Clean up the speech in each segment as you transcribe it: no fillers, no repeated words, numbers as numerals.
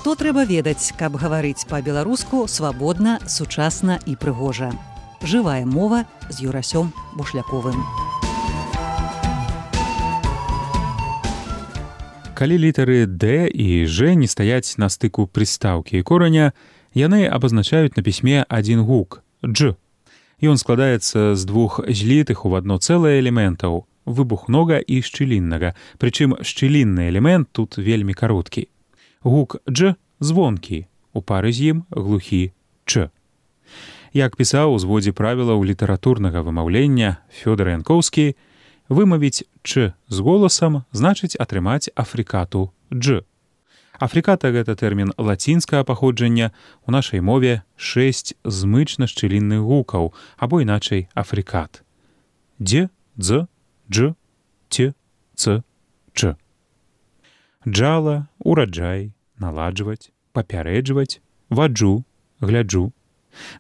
Што трэба ведаць, каб гаварыць па-беларуску свабодна, сучасна і прыгожа. Жывая мова з Юрасём Бушляковым. Калі літары «Д» і «Ж» не стаяць на стыку прыстаўкі і кораня, яны абазначаюць на пісьме адзін гук – «Дж». Ён складаецца з двух злітых у адно цэлае элементаў – выбухнога і шчыліннага, прычым шчылінны элемент тут вельмі кароткі. Гук «Дж» звонкі, у пары з ім глухі «Ч». Як пісаў у зводзе правілаў літаратурнага вымаўлення Фёдор Янкоўскі, вымавіць «Ч» з голасам значыць атрымаць африкату «Дж». Африката – гэта тэрмін лацінскага паходжання, у нашай мове 6 змычна-шчылінных гукаў, або іначай африкат. Дз, Дз, Дж, Т, Ц, Ч. Джала, ураджай, наладжваць, папярэджваць, ваджу, гляджу.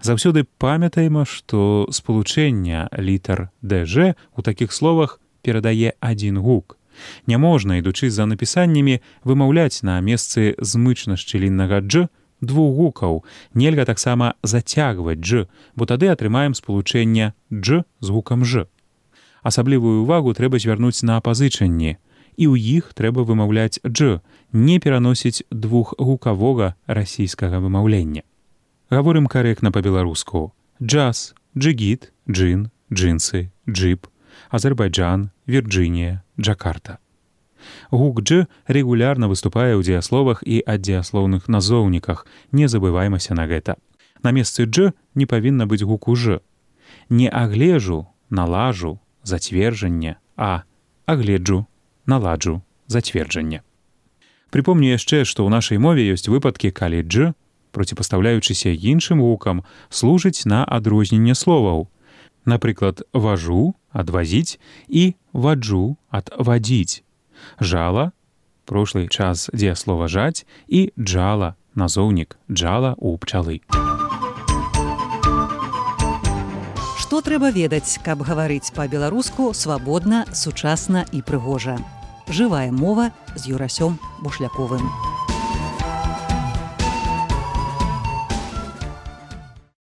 Заўсёды памятаем, што спалучэнне літар «ДЖ» у такіх словах перадае адзін гук. Няможна, ідучы за напісаннямі, вымаўляць на месцы змычна-шчыліннага «Дж» двух гукаў. Нельга таксама зацягваць «Дж», бо тады атрымаем спалучэнне «Дж» з гукам «Ж». Асаблівую ўвагу трэба звярнуць на апазычанні. І ў іх трэба вымаўляць «Дж», не пераносіць двухгукавога расійскага вымаўлення. Гаворым карэктна па-беларуску. Джаз, джигіт, джин, джинсы, джип, Азербайджан, Вірджынія, Джакарта. Гук «Дж» рэгулярна выступае ў дзеясловах і аддзеяслоўных назоўніках. Не забываймася на гэта. На месцы «Дж» не павінна быць гуку «Ж». Не аглежу, налажу, зацверджанне, а агледжу, наладжу, зацверджанне. Припомню яшчэ, што ў нашай мове ёсць выпадкі, калі «Дж», проціпастаўляючыся іншым гукам, служыць на адрозненне словаў. Напрыклад, важу – адвазіць і ваджу – адвадзіць. Жала – прошлый час дзеяслова жаць і джала – назоўнік джала у пчалы. Што трэба ведаць, каб гаварыць па-беларуску свабодна, сучасна і прыгожа. Жывая мова з Юрасём Бушляковым.